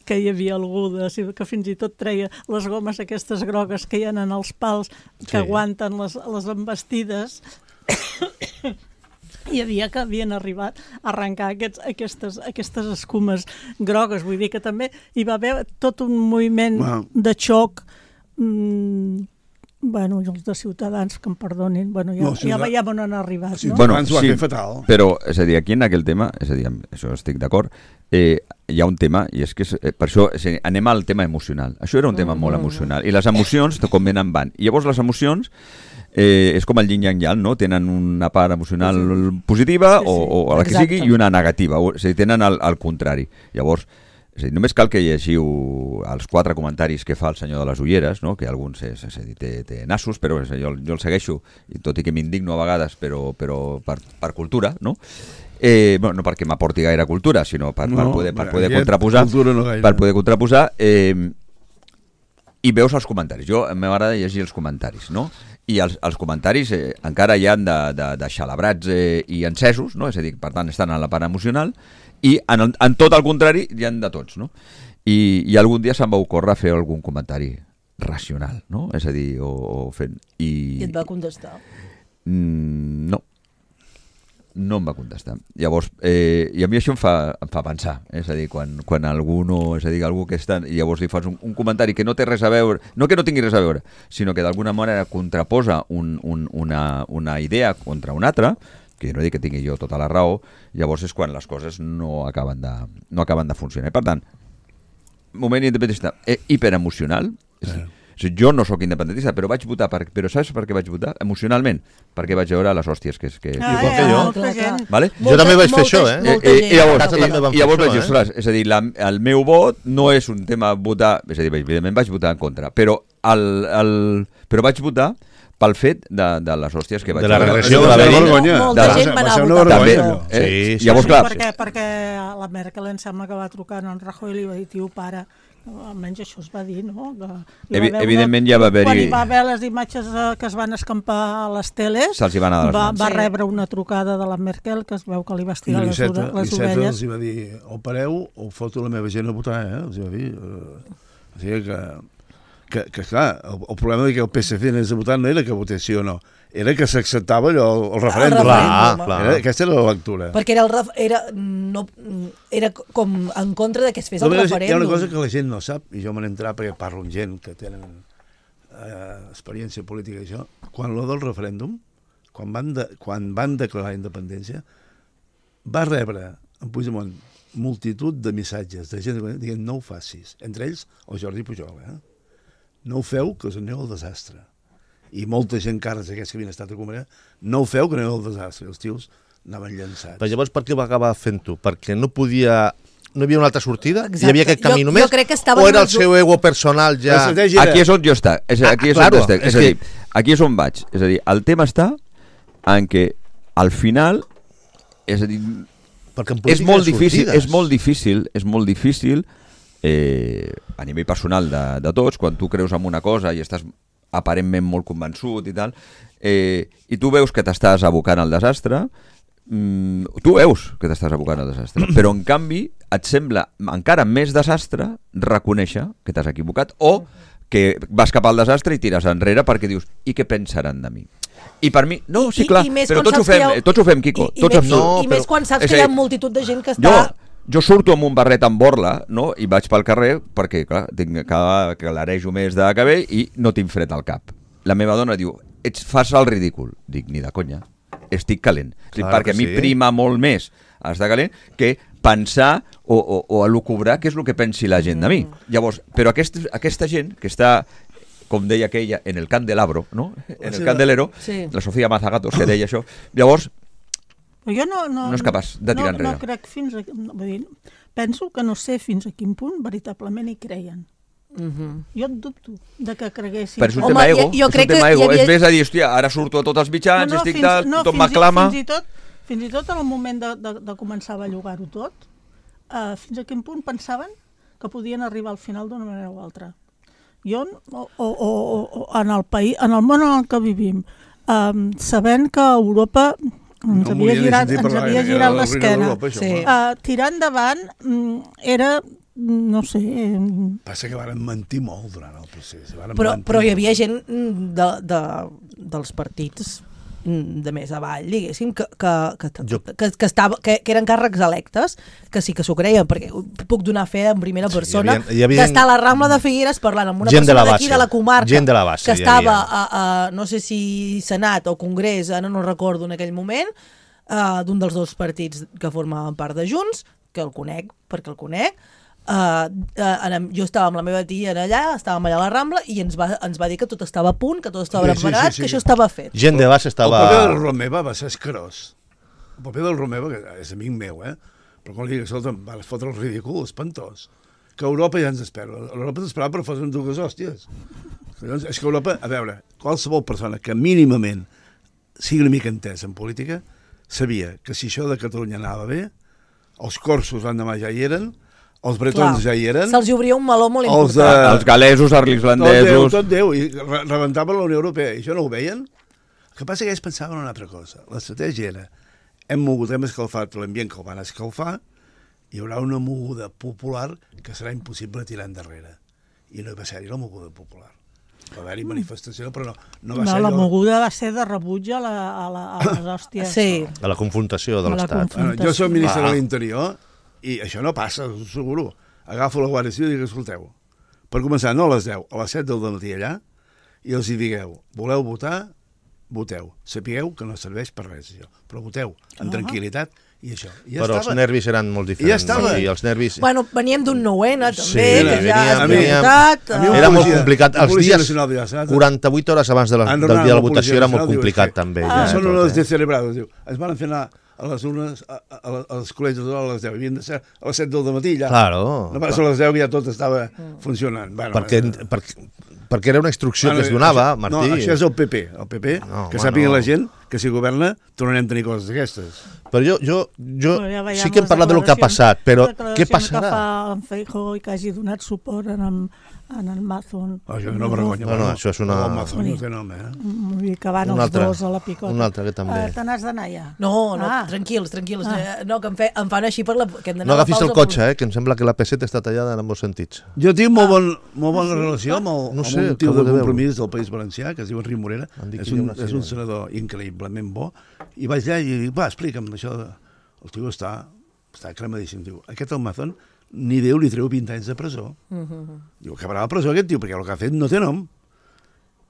que hi havia algú que fins i tot treia les gomes aquestes grogues que hi ha en els pals que aguanten les embestides. Hi havia que havien arribat a arrencar aquestes escumes grogues. Vull dir que també hi va haver tot un moviment de xoc. Bueno, els de Ciutadans, que em perdonin, ja on han arribat, no? Ciutadans ho ha fet fatal. Però, és a dir, aquí en aquell tema, és a dir, això estic d'acord, hi ha un tema, i és que per això anem al tema emocional. Això era un tema molt emocional, i les emocions, com venen, van. I llavors les emocions és com el yin yang yang, no? Tenen una part emocional positiva o la que sigui i una negativa, o sigui, tenen el contrari. Llavors, és a dir, només cal que llegiu els 4 comentaris que fa el senyor de les ulleres, no? Que alguns té nassos, però jo el segueixo, i tot i que m'indigno a vegades, però per cultura, no? No perquè m'aporti gaire cultura, sinó per poder contraposar, i veus els comentaris. Jo m'agrada llegir els comentaris, no? i els comentaris encara hi han de xalabrats i encesos, no? És a dir, per tant, estan en la part emocional, i en tot el contrari hi han de tots, no? I algun dia se'm va ocórrer fer algun comentari racional, no? És a dir, o fent... I et va contestar? No em va contestar. Llavors, i a mi això em fa pensar, és a dir, quan algú que està, i llavors li fas un comentari que no té res a veure, no que no tingui res a veure, sinó que d'alguna manera contraposa una idea contra una altra, que no dic que tingui jo tota la raó, llavors és quan les coses no acaben de funcionar. Per tant, moment independentista hiperemocional, jo no sóc independentista, però vaig votar, però saps per què vaig votar? Emocionalment, perquè vaig veure les hòsties que igual que jo. Vale? Jo també vaig fer això, I llavors vaig dir, ostres, és a dir, el meu vot no és un tema votar, és a dir, evidentment vaig votar en contra, però vaig votar pel fet de les hòsties que vaig veure. De la regressió de la vergonya. Molta gent va anar a votar. Llavors, clar... Perquè la Merkel em sembla que va trucar a en Rajoy i li va dir, tio, pare, almenys això es va dir, no? Evidentment ja va haver-hi... Quan hi va haver les imatges que es van escampar a les teles, se'ls hi van anar de les mans. Va rebre una trucada de la Merkel que es veu que li va estirar les orelles. L'Iceta els va dir, o pareu o foto la meva gent a votar, els va dir. O sigui que clar, el problema que el PSC anés a votar no era que votés sí o no, era que s'acceptava allò, el referèndum. Clar. Aquesta era la lectura. Perquè era com en contra de que es fes el referèndum. Hi ha una cosa que la gent no sap, i jo me n'he entrat perquè parlo amb gent que tenen experiència política i això, quan lo del referèndum, quan van declarar independència, va rebre en Puigdemont multitud de missatges de gent que diuen no ho facis, entre ells el Jordi Pujol, no ho feu, que us aneu al desastre. I molta gent, cares aquests que havien estat a Comerà, no ho feu, que aneu al desastre. Els tios anaven llançats. Però llavors per què va acabar fent-ho? Perquè no hi havia una altra sortida? Exacte. Hi havia aquest camí només? Jo crec que estava o era el seu ego personal ja... Aquí és on jo estic. Aquí és on vaig. És a dir, el tema està en què al final, és a dir, és molt difícil a nivell personal de tots, quan tu creus en una cosa i estàs aparentment molt convençut i tal, i tu veus que t'estàs abocant al desastre, però en canvi et sembla encara més desastre reconèixer que t'has equivocat o que vas cap al desastre i tires enrere perquè dius, i què pensaran de mi? I per mi, no, sí, clar, però tots ho fem, Quico. I més quan saps que hi ha multitud de gent que està... Jo surto amb un barret amb borla, no? I vaig pel carrer perquè, clar, que l'arejo més de cabell i no tinc fred al cap. La meva dona diu, fas el ridícul. Dic, ni de conya, estic calent. Perquè a mi prima molt més estar calent que pensar o elucubrar què és el que pensi la gent de mi. Llavors, però aquesta gent que està, com deia aquella, en el candelabro, no? En el candelero, la Sofía Mazagatos, que deia això. Llavors, jo no és capaç de tirar enrere. No crec penso que no sé fins a quin punt veritablement hi creien. Jo et dubto de que creguessin. Però és un tema ego. És més a dir, hòstia, ara surto a tots els mitjans, estic tal, tothom m'aclama. Fins i tot en el moment de començar a bellugar-ho tot, fins a quin punt pensaven que podien arribar al final d'una manera o altra. Jo, en el país, en el món en el que vivim, sabent que Europa ens havia girat l'esquena, tirar endavant era, no sé... Passa que van mentir molt durant el procés. Però hi havia gent dels partits de més avall, diguéssim, que eren càrrecs electes, que sí que s'ho creien, perquè puc donar fe en primera persona d'estar a la Rambla de Figueres parlant amb una persona d'aquí de la comarca que estava no sé si Senat o Congrés, ara no recordo en aquell moment, d'un dels dos partits que formaven part de Junts, que el conec perquè el conec. Jo estava amb la meva tia allà, estàvem allà a la Rambla i ens va dir que tot estava a punt, que tot estava preparat, que això estava fet. Gent de base estava... El paper del Romeva va ser escarós. El paper del Romeva, que és amic meu, però quan li dic, escolta, va fotre el ridícul, espantós. Que Europa ja ens espera. Europa t'esperava per fer dues hòsties. És que Europa, a veure, qualsevol persona que mínimament sigui una mica entès en política, sabia que si això de Catalunya anava bé, els corsos l'endemà ja hi eren, Els bretons ja hi eren. Se'ls obria un meló molt Els important. Els galesos, els irlandesos... Tot Déu, i rebentaven la Unió Europea, i això no ho veien? El que passa és que ells pensaven una altra cosa. L'estratègia era, hem escalfat l'ambient que el van escalfar, hi haurà una moguda popular que serà impossible tirar endarrere. I no hi va ser-hi la moguda popular. Va haver-hi manifestació, però no va ser... La moguda va ser de rebuig a les hòsties. Sí. A la confrontació de l'Estat. Jo soc ministre de l'Interior i això no passa, us asseguro. Agafo la Guàrdia Civil i dic, escolteu, per començar, no a les 10, a les 7 del matí allà, i els hi digueu, voleu votar? Voteu. Sapigueu que no serveix per res, això. Però voteu, amb tranquil·litat, i això. I Però els nervis eren molt diferents. Ja estava. I els nervis... Bueno, veníem d'un 9N, també, Sí, que ja veníem- has votat. Era molt complicat. Els Policia dies, Nacional de Estat. 48 hores abans del dia de la votació era molt complicat, també. Són unes descelebrades, diu. Es van fer anar a les urnes, als col·legis a les 10. Havien de ser a les 7 del matí, ja. Claro. No passa a les 10 que ja tot estava funcionant. Bueno, perquè era una instrucció que es donava, això, Martí. No, això és el PP. El PP, que sàpiga la gent que si governa tornarem a tenir coses d'aquestes. Però jo Ja veiem sí que hem les parlat del que ha passat, però què declaracions passarà? que fa en Feijóo i que hagi donat suport en el Mazón. Això no vergonya. No, això és una... El Mazón no té nom, Vull dir que van Un els altre. dos a la picota. Un altre que també. Te n'has d'anar ja? No, tranquils. No, que em fan així per la... Que hem d'anar No a la agafis el pausa cotxe, que em sembla que la P7 està tallada en molts sentits. Jo tinc molt bona relació amb No sé, un tio acabo de de Compromís del País Valencià, que es diu Enric Morera. Em dic És que hi ha un, una és un sirena. senador increïblement bo. I vaig allà i dic, va, explica'm això. El tio està cremadíssim. Diu, aquest Almazón ni Déu li treu 20 anys de presó. Diu, acabarà a la presó aquest tio, perquè el que ha fet no té nom.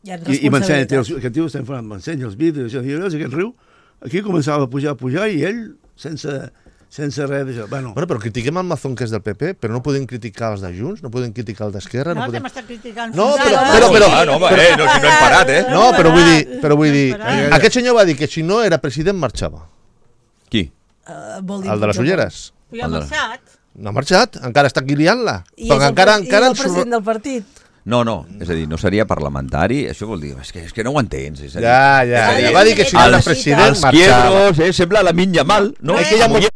I m'ensenya, aquest tio està informant, m'ensenya els vídeos, això, diu, veus aquest riu? Aquí començava a pujar i ell, sense res d'això. Bueno, Però critiquem el Mazón, que és del PP, però no podem criticar els de Junts, no podem criticar el d'Esquerra... No, podem... que m'està criticant. No, fins ara. però... no, no, si no hem parat, No, però vull dir... Aquest senyor va dir que si no era president marxava. Qui? El de les ulleres. I ha marxat. No ha marxat, encara està aquí liant-la. I Però és encara el president del partit. No, és a dir, no seria parlamentari, això vol dir, és que no ho entens. És a dir, Ja, va dir que si no era president els marxava. quiebros, sembla la minya mal, no? És que hi ha molt...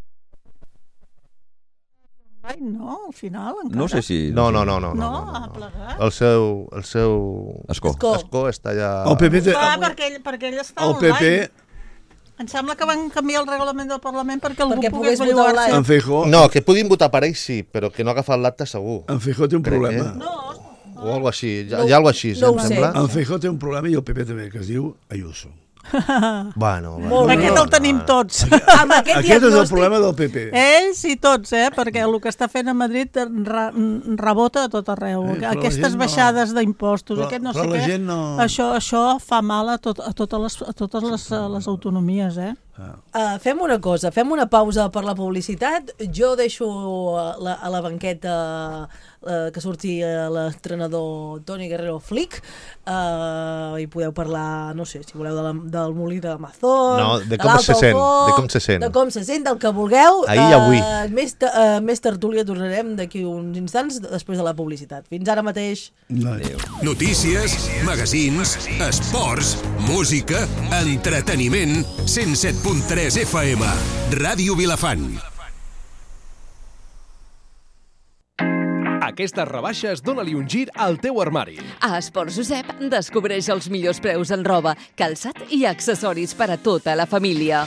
Ai, no, al final encara. No sé si... No. No, ha plegat. El seu... Escó. Escó està allà... el PP... Perquè ell està El PP... online. Em sembla que van canviar el reglament del Parlament perquè algú Perquè pogués pogués votar bellugar-se. En Feijóo... No, que puguin votar per ell sí, però que no ha agafat l'acte segur. En Feijóo té un Crec, problema. O algo així, hi ha algo així, no ho em sé. sembla. En Feijóo té un problema i el PP també, que es diu Ayuso. Bueno. Aquest el tenim tots. Amb aquest Aquest és el diagnòstic... problema del PP. Ells i tots, perquè el que està fent a Madrid rebota a tot arreu. Però la Aquestes gent no. baixades d'impostos, Però- aquest no però sé la què, gent no- això fa mal a totes les autonomies, Fem una cosa, fem una pausa per la publicitat. Jo deixo a la banqueta que surti l'entrenador Toni Guerrero Flick i podeu parlar, no sé, si voleu del molí de Mazón, No, de com se sent, de com se sent. de com se sent, del que vulgueu. Ahir i avui. Més tertúlia tornarem d'aquí uns instants després de la publicitat. Fins ara mateix. Notícies, magazins, esports, música, entreteniment, 107.3 FM, Ràdio Vilafant. Aquestes rebaixes dóna-li un gir al teu armari. A Esports Josep descobreix els millors preus en roba, calçat i accessoris per a tota la família.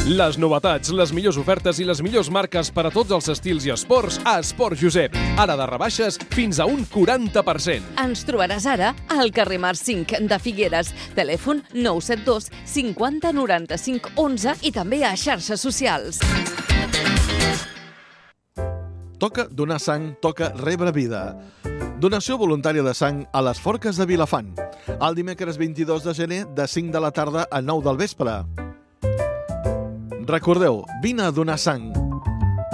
Les novetats, les millors ofertes i les millors marques per a tots els estils i esports a Esports Josep. Ara de rebaixes fins a un 40%. Ens trobaràs ara al carrer Mar 5 de Figueres, telèfon 972 50 95 11 i també a xarxes socials. Toca donar sang, toca rebre vida. Donació voluntària de sang a les Forques de Vilafant. El dimecres 22 de gener, de 5 de la tarda a 9 del vespre. Recordeu, vine a donar sang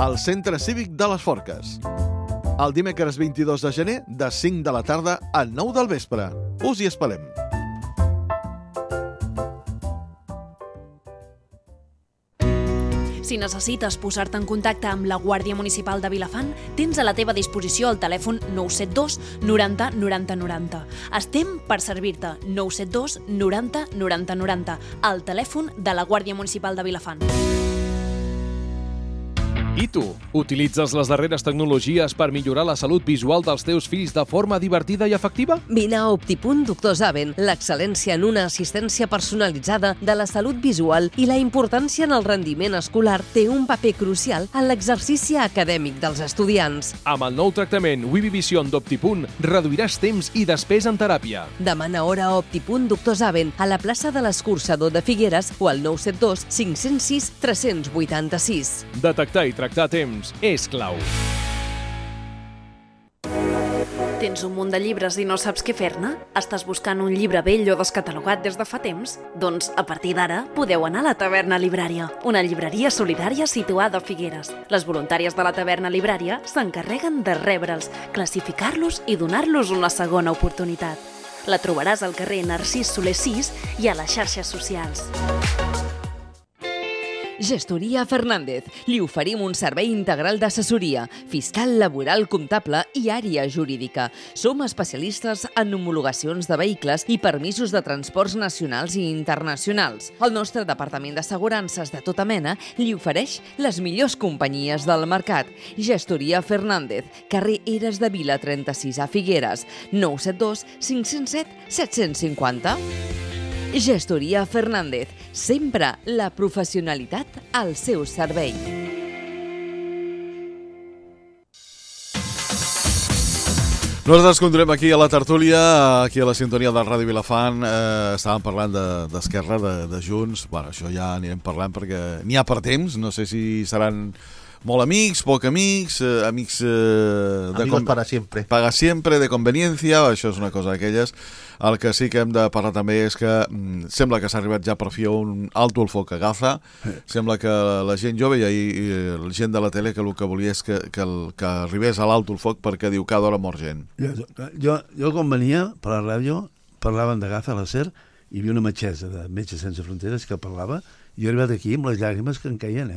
al Centre Cívic de les Forques. El dimecres 22 de gener, de 5 de la tarda a 9 del vespre. Us hi esperem. Si necessites posar-te en contacte amb la Guàrdia Municipal de Vilafant, tens a la teva disposició el telèfon 972 90 90 90. Estem per servir-te. 972 90 90 90. El telèfon de la Guàrdia Municipal de Vilafant. I tu, utilitzes les darreres tecnologies per millorar la salut visual dels teus fills de forma divertida i efectiva? Vine a Optipunt Doctor Zaven, l'excel·lència en una assistència personalitzada de la salut visual i la importància en el rendiment escolar té un paper crucial en l'exercici acadèmic dels estudiants. Amb el nou tractament Wibi Vision d'Optipunt reduiràs temps i despesa en teràpia. Demana hora a Optipunt Doctor Zaven a la plaça de l'Escorxador de Figueres o al 972 506 386. Detectar i tractar a temps és clau. Tens un munt de llibres i no saps què fer-ne? Estàs buscant un llibre vell o descatalogat des de fa temps? Doncs, a partir d'ara, podeu anar a la Taverna Librària, una llibreria solidària situada a Figueres. Les voluntàries de la Taverna Librària s'encarreguen de rebre'ls, classificar-los i donar-los una segona oportunitat. La trobaràs al carrer Narcís Soler 6 i a les xarxes socials. Gestoria Fernández. Li oferim un servei integral d'assessoria, fiscal, laboral, comptable i àrea jurídica. Som especialistes en homologacions de vehicles i permisos de transports nacionals i internacionals. El nostre departament d'assegurances de tota mena li ofereix les millors companyies del mercat. Gestoria Fernández, carrer Eres de Vila 36 a Figueres, 972 507 750. Gestoria Fernández, sempre la professionalitat al seu servei. Nosaltres continuem aquí a la tertúlia, aquí a la sintonia del Ràdio Vilafant. Estàvem parlant d'Esquerra, de Junts. Bueno, això ja anirem parlant perquè n'hi ha per temps. No sé si seran molt amics, poc amics, amics... Amigos para siempre. Para siempre, de conveniencia, això és una cosa d'aquelles. El que sí que hem de parlar també és que sembla que s'ha arribat ja per fi a un alto el foc a Gaza. Sembla que la gent jove i la gent de la tele que el que volia és que arribés a l'alto el foc perquè diu cada hora mor gent. Jo quan venia per la ràdio parlaven de Gaza a la SER i hi havia una metgessa de Metges Sense Fronteres que parlava i jo he arribat aquí amb les llàgrimes que em caien,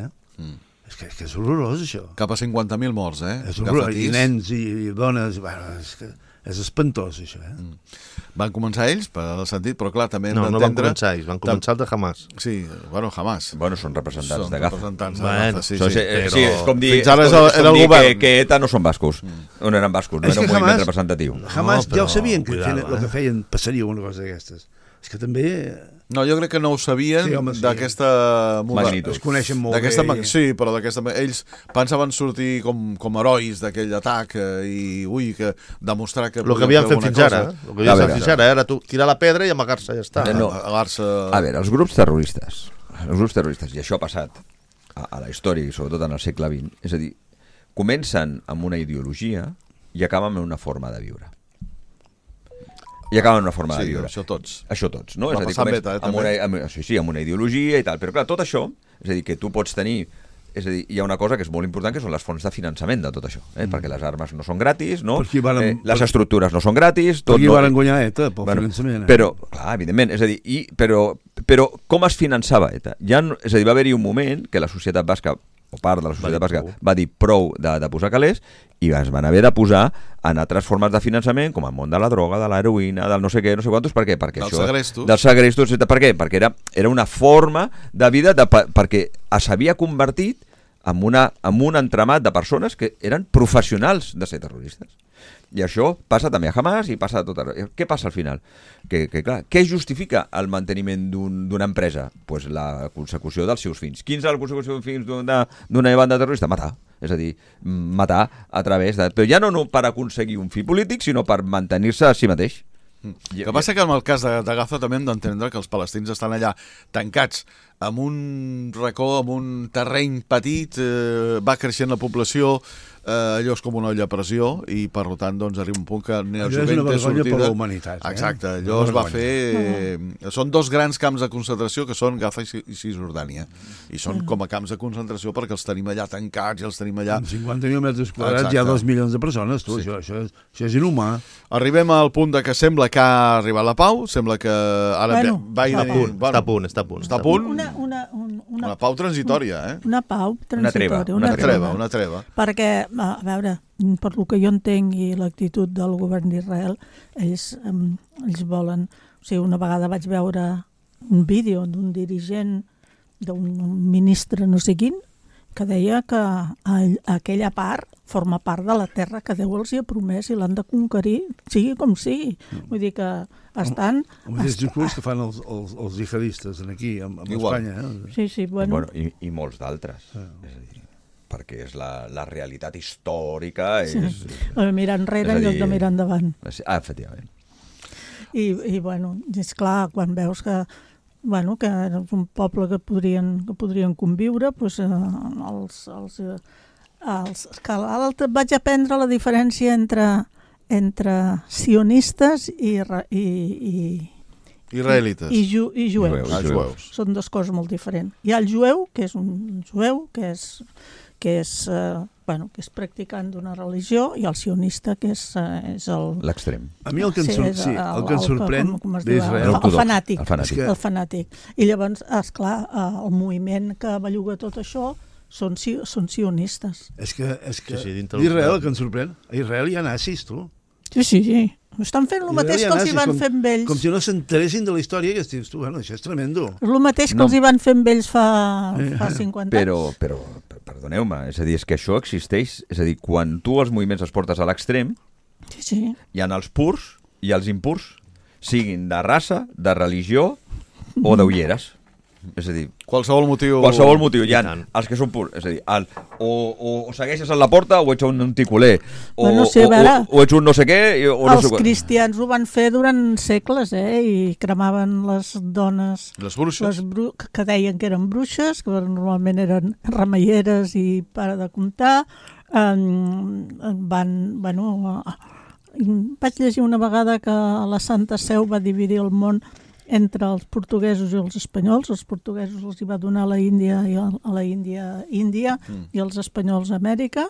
És que és horrorós, això. Cap a 50.000 morts, És horrorós, i nens i dones, és espantós, això, Van començar ells, per el sentit, però clar, també hem d'entendre... No van començar ells, van començar el de Hamas. Sí, bueno, Hamas. Bueno, són representants de Gaza. Sí, sí, és com dir, fins ara era el govern. Que ETA no són bascos. No eren bascos, no era un moviment representatiu. Hamas ja ho sabien, que el que feien passaria una cosa d'aquestes. És que també... No, jo crec que no ho sabien d'aquesta magnitud. Es coneixen molt bé. Sí, però ells pensaven sortir com herois d'aquell atac i que demostrar que... El que havien fet fins ara. El que havien fet fins ara era tirar la pedra i amagar-se, ja està. A veure, els grups terroristes, i això ha passat a la història i sobretot en el segle XX, és a dir, comencen amb una ideologia i acaben amb una forma de viure. I acaben amb una forma de viure. Això tots, no? És a dir, amb una ideologia i tal. Però clar, tot això, és a dir, que tu pots tenir... És a dir, hi ha una cosa que és molt important, que són les fonts de finançament de tot això, perquè les armes no són gratis, no? Les estructures no són gratis... Per qui van guanyar ETA, pel finançament. Però, clar, evidentment, és a dir, però com es finançava ETA? És a dir, va haver-hi un moment que la societat basca, o part de la societat basca, va dir prou de posar calés i es van haver de posar en altres formes de finançament, com el món de la droga, de l'heroïna, del no sé què, no sé quantos. Per què? Perquè dels segrestos. Per què? Perquè era una forma de vida perquè s'havia convertit en un entramat de persones que eren professionals de ser terroristes. I això passa també a Hamas i passa a tot arreu. Què passa al final? Clar, què justifica el manteniment d'una empresa? Pues la consecució dels seus fins. Quins és la consecució dels fins d'una banda terrorista? Matar. És a dir, matar a través de... Però ja no per aconseguir un fi polític, sinó per mantenir-se a si mateix. El que passa que en el cas de Gaza també hem d'entendre que els palestins estan allà tancats en un racó, en un terreny petit, va creixent la població, allò és com una olla a pressió i per tant doncs arriba un punt que allò és una vergonya per la humanitat. Exacte, allò es va fer... Són dos grans camps de concentració que són Gaza i Cisjordània i són com a camps de concentració perquè els tenim allà tancats i els tenim allà... Amb 50.000 metres quadrats hi ha 2 milions de persones, tu, això és inhumà. Arribem al punt de que sembla que ha arribat la pau, sembla que ara Biden... Està a punt. Una pau transitòria, Una pau transitòria. Una treva. Perquè, a veure, per lo que jo entenc i l'actitud del govern d'Israel, ells volen... O sigui, una vegada vaig veure un vídeo d'un dirigent, d'un ministre no sé quin, que deia que aquella part forma part de la terra que Déu els hi ha promès i l'han de conquerir, sigui com sigui. Vull dir que estan... El mateix discurs que fan els jihadistes aquí, amb Espanya. Sí, bueno. I molts d'altres. És a dir, perquè és la realitat històrica. Mirar enrere en lloc de mirar endavant. Efectivament. I bueno, és clar, quan veus que és un poble que podrien conviure, doncs vaig aprendre la diferència entre sionistes i israelites i jueus. Jueus. Són dues coses molt diferents. Hi ha el jueu, que és un jueu que és practicant d'una religió, i el sionista, que és l'extrem. A mi el que em sorprèn d'Israel... El fanàtic. I llavors, esclar, el moviment que belluga tot això són sionistes. És que d'Israel el que em sorprèn, a Israel hi ha nazis, tu. Sí. Estan fent el mateix que els hi van fer amb ells. Com si no s'enteressin de la història, que dius tu, bueno, això és tremendo. És el mateix que els hi van fer amb ells fa 50 anys. Però perdoneu-me, és a dir, és que això existeix, és a dir, quan tu els moviments els portes a l'extrem, hi ha els purs i els impurs, siguin de raça, de religió o d'ulleres. És a dir, qualsevol motiu hi ha els que són purs, és a dir, o segueixes a la porta o ets un ticoler o ets un no sé què els cristians ho van fer durant segles, i cremaven les dones, les bruixes, que deien que eren bruixes, que normalment eren remeieres i para de comptar. Vaig llegir una vegada que la Santa Seu va dividir el món entre els portuguesos i els espanyols. Els portuguesos els hi va donar a la Índia i els espanyols a Amèrica,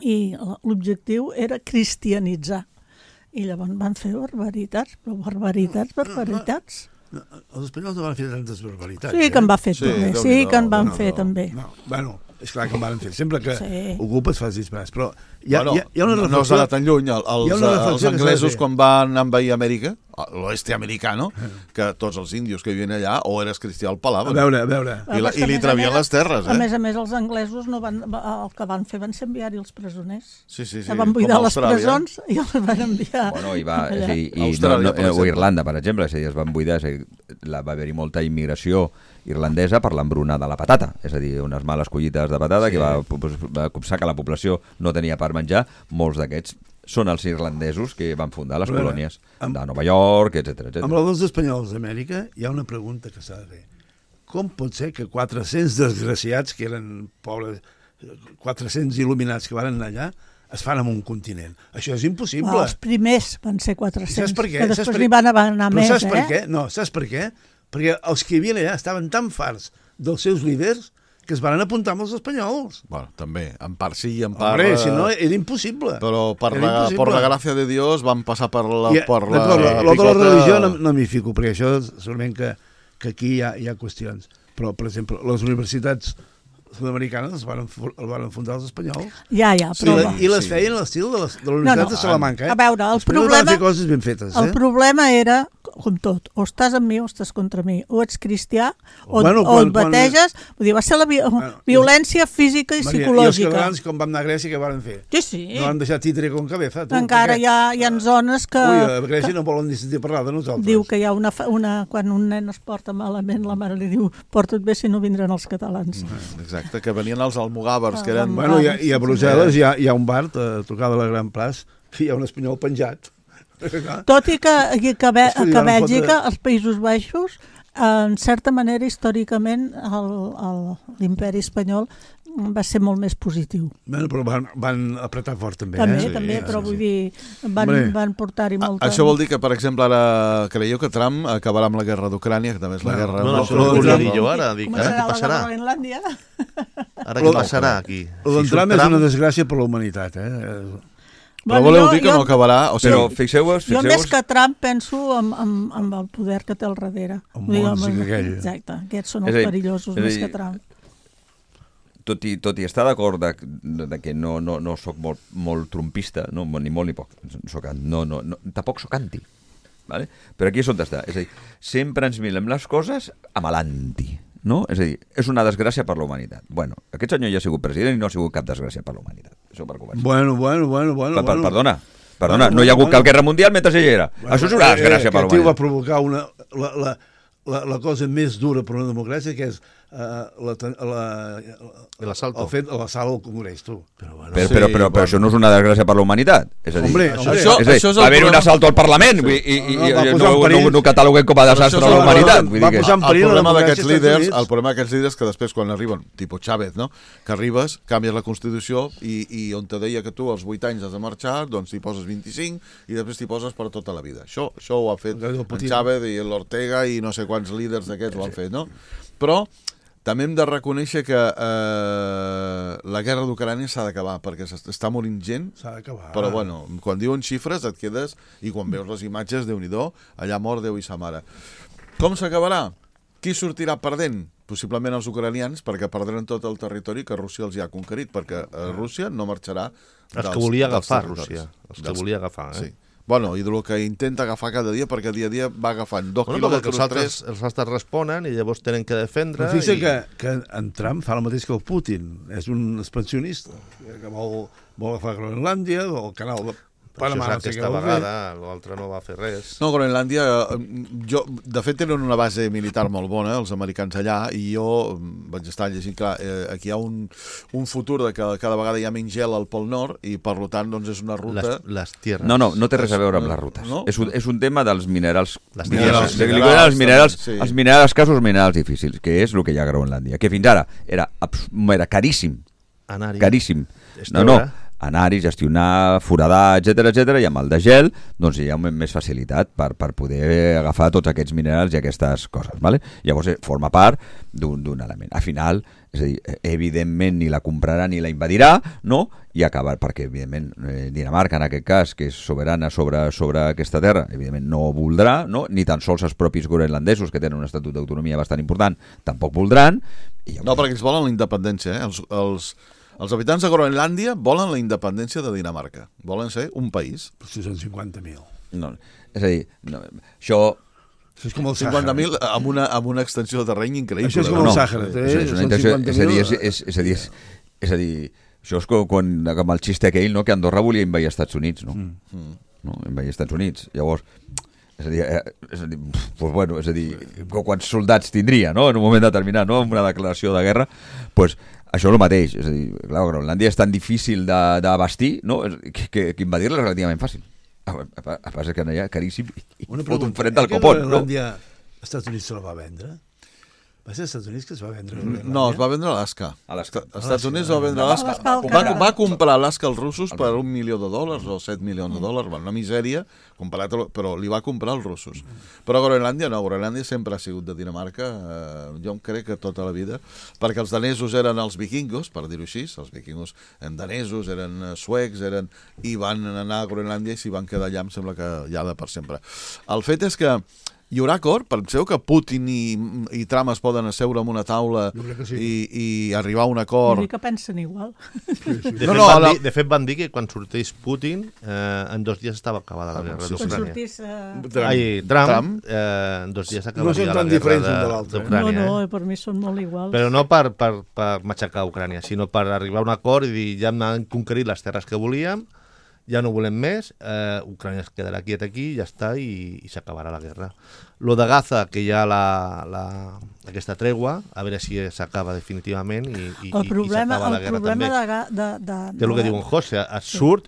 i l'objectiu era cristianitzar. I llavors van fer barbaritats. Els espanyols no van fer tantes barbaritats. Sí que en va fer també. Sí que en van fer també. Bueno, és clar que en van fer. Sempre que ocupes fas disbarats. Però hi ha una reflexió... No s'ha anat tan lluny. Els anglesos, quan van envair Amèrica, l'oeste americano, que tots els índios que vivien allà o eres cristià el palaven. A veure. I li travien les terres. A més, els anglesos el que van fer van ser enviar-hi els presoners. Sí. Van buidar les presons i els van enviar. O Irlanda, per exemple, es van buidar, va haver-hi molta immigració irlandesa per l'embruna de la patata, és a dir, unes males collites de patata que va copsar que la població no tenia per menjar. Molts d'aquests són els irlandesos que van fundar les colònies de Nova York, etc. Amb els espanyols d'Amèrica hi ha una pregunta que s'ha de fer. Com pot ser que 400 desgraciats, que eren pobres, 400 il·luminats que van anar allà, es fan en un continent? Això és impossible. Els primers van ser 400, saps per què? Que després n'hi van anar més. Saps per què? No, saps per què? Perquè els que hi havia allà estaven tan farts dels seus líders que es van apuntar amb els espanyols. Bueno, també, en part sí i en part... Hombre, si no, era impossible. Però per la gràcia de Dios van passar per la... Lo de la religió no m'hi fico, perquè això segurament que aquí hi ha qüestions. Però, per exemple, les universitats sud-americanes el van fundar els espanyols. Ja, però... I les feien a l'estil de la Universitat de Salamanca. A veure, el problema... van fer coses ben fetes. El problema era, com tot, o estàs amb mi o estàs contra mi, o ets cristià o et bateges. Vull dir, va ser la violència física i psicològica. I els catalans, com vam anar a Grècia, què van fer? Sí. No van deixar títere con cabeza. Encara hi ha zones que... Ui, a Grècia no volen ni sentir parlar de nosaltres. Diu que hi ha quan un nen es porta malament, la mare li diu, porta't bé si no vindran els catalans. Exacte, que venien els almogàvers, que eren... Bueno, i a Brussel·les hi ha un bar, a tocar de la Gran Plaça, que hi ha un espanyol penjat. Tot i que a Bèlgica, als Països Baixos, en certa manera, històricament, l'imperi espanyol va ser molt més positiu. Bueno, però van apretar fort també. També, però vull dir, van portar-hi molta... Això vol dir que, per exemple, ara creieu que Trump acabarà amb la guerra d'Ucrània, que també és la guerra... No, això no ho volia dir jo ara. Començarà la guerra a Groenlàndia. Ara què passarà aquí? El d'en Trump és una desgràcia per la humanitat, Però voleu dir que no acabarà? Però fixeu-vos... Jo més que Trump penso en el poder que té al darrere. Exacte, aquests són els perillosos més que Trump. Tot i estar d'acord que no soc molt trumpista, ni molt ni poc, tampoc soc anti, vale? Però aquí és on està. És a dir, sempre ens mirem les coses amb l'anti. no? És a dir, és una desgràcia per la humanitat. Bueno, aquest senyor ja ha sigut president i no ha sigut cap desgràcia per la humanitat. Això per començar. Bueno. Perdona, no hi ha hagut cap guerra mundial mentre ell era. Això és una desgràcia per la humanitat. Aquest tio va humanitat. provocar la cosa més dura per una democràcia, que és l'assalt al Congrés, tu. Però això no és una desgràcia per la humanitat. És a dir, va haver un assalt al Parlament i no cataloguem com a desastre a la humanitat. El problema d'aquests líders que després quan arriben, tipus Chávez, no? Que arribes, canvies la Constitució i on te deia que tu als 8 anys has de marxar, doncs t'hi poses 25 i després t'hi poses per tota la vida. Això ho ha fet en Chávez i l'Ortega i no sé quants líders d'aquests ho han fet, no? Però també hem de reconèixer que la guerra d'Ucrània s'ha d'acabar, perquè està morint gent. S'ha d'acabar. Però bueno, quan diuen xifres et quedes, i quan veus les imatges, Déu-n'hi-do, allà mor Déu i sa mare. Com s'acabarà? Qui sortirà perdent? Possiblement els ucranians, perquè perdran tot el territori que Rússia els ha conquerit, perquè Rússia no marxarà els que volia agafar Rússia. Els que volia agafar, Sí. Bueno, i del que intenta agafar cada dia, perquè dia a dia va agafant 2 quilòmetres, 3... Els altres responen i llavors tenen que defendre... Però fixa que en Trump fa el mateix que el Putin. És un expansionista que vol agafar Groenlàndia, o el canal de Panamà. Però aquesta vegada l'altre no va fer res. No, Groenlàndia, de fet tenen una base militar molt bona, els americans allà, i jo vaig estar llegint, clar, aquí hi ha un futur de que cada vegada hi ha menys gel al Pol Nord i per tant doncs és una ruta... Les tierres. No té res a veure amb les rutes. No? És un tema dels minerals. Els minerals casos minerals difícils, que és el que hi ha a Groenlàndia, que fins ara era caríssim. Caríssim. Anar-hi, gestionar, foradar, etc, i amb el de gel doncs hi ha més facilitat per poder agafar tots aquests minerals i aquestes coses, ¿vale? Llavors forma part d'un element. Al final, és a dir, evidentment ni la comprarà ni la invadirà, no? I acabar, perquè evidentment Dinamarca en aquest cas, que és soberana sobre aquesta terra, evidentment no voldrà, no? Ni tan sols els propis groenlandesos, que tenen un estatut d'autonomia bastant important, tampoc voldran. No, perquè ells volen la independència, Els habitants de Groenlàndia volen la independència de Dinamarca. Volen ser un país. Però si són 50.000. No, és a dir, això... Això és com el Sàhara. 50.000 amb una extensió de terreny increïble. Això és com el Sàhara. És a dir, això és quan amb el xiste aquell, no, que Andorra volia invadir els Estats Units, no? Invadir els Estats Units. Llavors... És a dir, quants soldats tindria, no? En un moment determinat, no? Amb una declaració de guerra, doncs això és el mateix. És a dir, clar, Groenlàndia és tan difícil d'abastir, no? Que invadir-la és relativament fàcil. El que passa és que allà caríssim i fot un fred del copón. Groenlàndia, als Estats Units se la va vendre? Va ser als Estats Units que es va vendre Groenlàndia? No, es va vendre Alaska. Als Estats Units va vendre Alaska. Va comprar Alaska als russos per $1 milió o $7 milions. Una misèria, però li va comprar als russos. Però Groenlàndia no, Groenlàndia sempre ha sigut de Dinamarca, jo em crec que tota la vida, perquè els danesos eren els vikingos, per dir-ho així, els vikingos eren danesos, eren suecs, i van anar a Groenlàndia i s'hi van quedar allà, em sembla que ja de per sempre. El fet és que hi haurà acord? Penseu que Putin i Trump es poden asseure en una taula i arribar a un acord? Vull dir que pensen igual. De fet, van dir que quan sortís Putin, en 2 dies estava acabada la guerra d'Ucrània. Quan sortís Trump, en 2 dies acabaria la guerra d'Ucrània. No, per mi són molt iguals. Però no per matxacar Ucrània, sinó per arribar a un acord i dir, ja hem conquerit les terres que volíem, ja no volem més, Ucrània es quedarà quiet aquí, ja està, i s'acabarà la guerra. Lo de Gaza, que hi ha aquesta tregua, a veure si s'acaba definitivament i s'acaba la guerra també. Que és el que diu en José, surt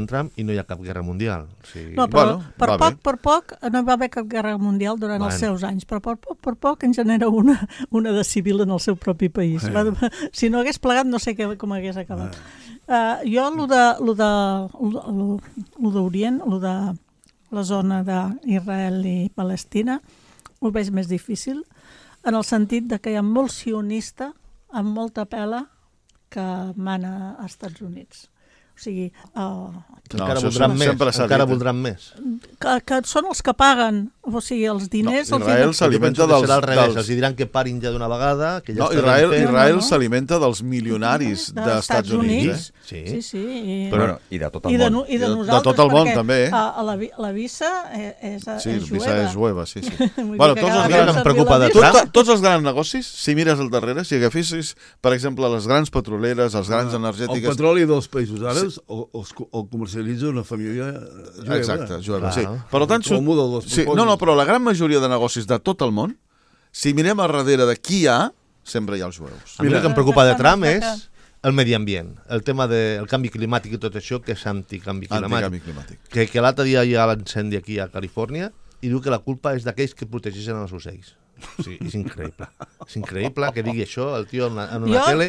en Trump i no hi ha cap guerra mundial. No, però per poc no hi va haver cap guerra mundial durant els seus anys, però per poc en genera una de civil en el seu propi país. Si no hagués plegat no sé com hagués acabat. Jo, lo d'Orient, lo de la zona d'Israel i Palestina, ho veig més difícil, en el sentit de que hi ha molt sionista amb molta pela que mana als Estats Units. O sigui... encara voldran més. Que són els que paguen O sigui, els diners... No, Israel s'alimenta dels... Serà al revés, els diran que parin ja d'una vegada, que ja no, Israel s'alimenta dels milionaris dels Estats Units. Sí. Però, i de tot el món. I de nosaltres, de tot el món, també. La visa és jueva. Sí, la visa és jueva, sí. Bueno, tots els grans negocis, si mires al darrere, si agafessis, per exemple, les grans petroleres, els grans energètiques... El petroli dels països àrabs el comercialitza una família jueva. Exacte, jueva, sí. Per tant, però la gran majoria de negocis de tot el món, si mirem a darrere de qui hi ha, sempre hi ha els jueus. A mi el que em preocupa de Trump és el medi ambient, el tema del canvi climàtic i tot això, que és anticanvi climàtic. Que l'altre dia hi ha l'incendi aquí a Califòrnia i diu que la culpa és d'aquells que protegeixen els ocells. Sí, és increïble. És increïble que digui això el tio en una tele,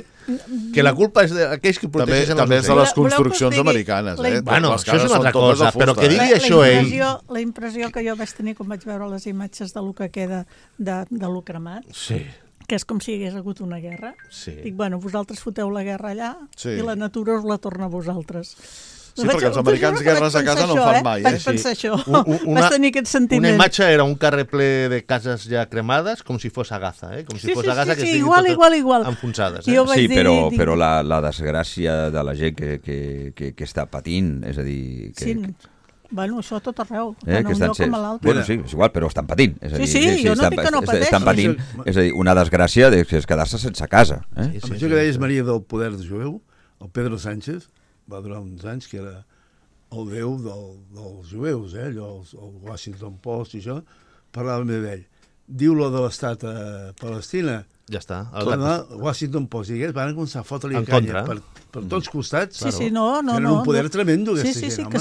que la culpa és d'aquells que protegeixen els ocells. També és de les construccions americanes. Bueno, això és una altra cosa, però que digui això ell... La impressió que jo vaig tenir quan vaig veure les imatges de lo que queda de lo cremat, que és com si hi hagués hagut una guerra. Dic, bueno, vosaltres foteu la guerra allà i la natura us la torna a vosaltres. Sí, perquè els americans guerres a casa no en fan mai. Vaig pensar això. Vaig tenir aquest sentiment. Una imatge era un carrer ple de cases ja cremades, com si fos a Gaza, com si fos a Gaza, que estiguin totes enfonsades. Sí, però la desgràcia de la gent que està patint, és a dir... Bueno, això a tot arreu, tant un lloc com a l'altre. Bueno, sí, és igual, però estan patint. Sí, jo no dic que no pateixin. Estan patint, és a dir, una desgràcia és quedar-se sense casa. Amb això que deies, Maria, del poder jueu, el Pedro Sánchez va durar uns anys que era el déu dels jueus, el Washington Post i això, parlava d'ell. Diu-lo de l'estat a Palestina, ja està. Washington Post i van començar a fotre-li canya per tots costats. Sí, no. Tenen un poder tremendo, aquesta gent, home.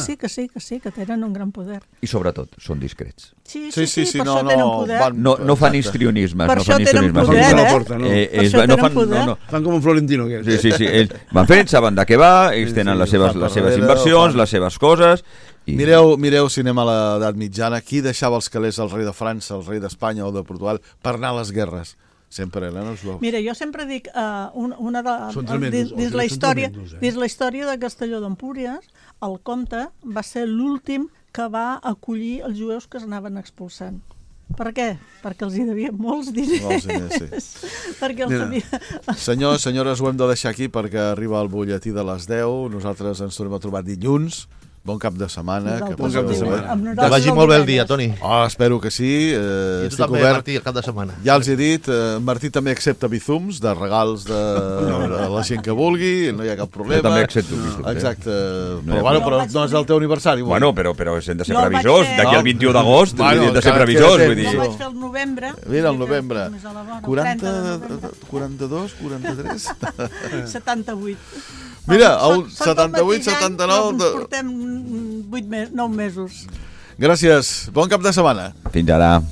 Sí, que tenen un gran poder. I sobretot, són discrets. Sí, per això tenen poder. No fan histrionismes. Per això tenen poder, Per això tenen poder. Fan com un Florentino. Sí, ells van fent, saben de què va, ells tenen les seves inversions, les seves coses... Mireu si anem a l'edat mitjana, qui deixava els calés al rei de França, al rei d'Espanya o de Portugal per anar a les guerres? Sempre eren els jueus. Mira, jo sempre dic, dins la història de Castelló d'Empúries, el comte va ser l'últim que va acollir els jueus que es anaven expulsant. Per què? Perquè els hi devien molts diners. Perquè els devia... Senyores, ho hem de deixar aquí perquè arriba el butlletí de les 10. Nosaltres ens tornem a trobar dilluns. Bon cap de setmana. Que vagi molt bé el dia, Toni. Espero que sí. I tu també, Martí, el cap de setmana. Ja els he dit, Martí també accepta bizums de regals de la gent que vulgui, no hi ha cap problema. Jo també accepto bizums. Exacte. Però no és el teu aniversari. Bueno, però hem de ser previsors. D'aquí al 21 d'agost hem de ser previsors. Jo vaig fer el novembre. Mira, el novembre. 42, 43... 78. Mira, 78, 79... Portem 9 mesos. Gràcies. Bon cap de setmana. Fins ara.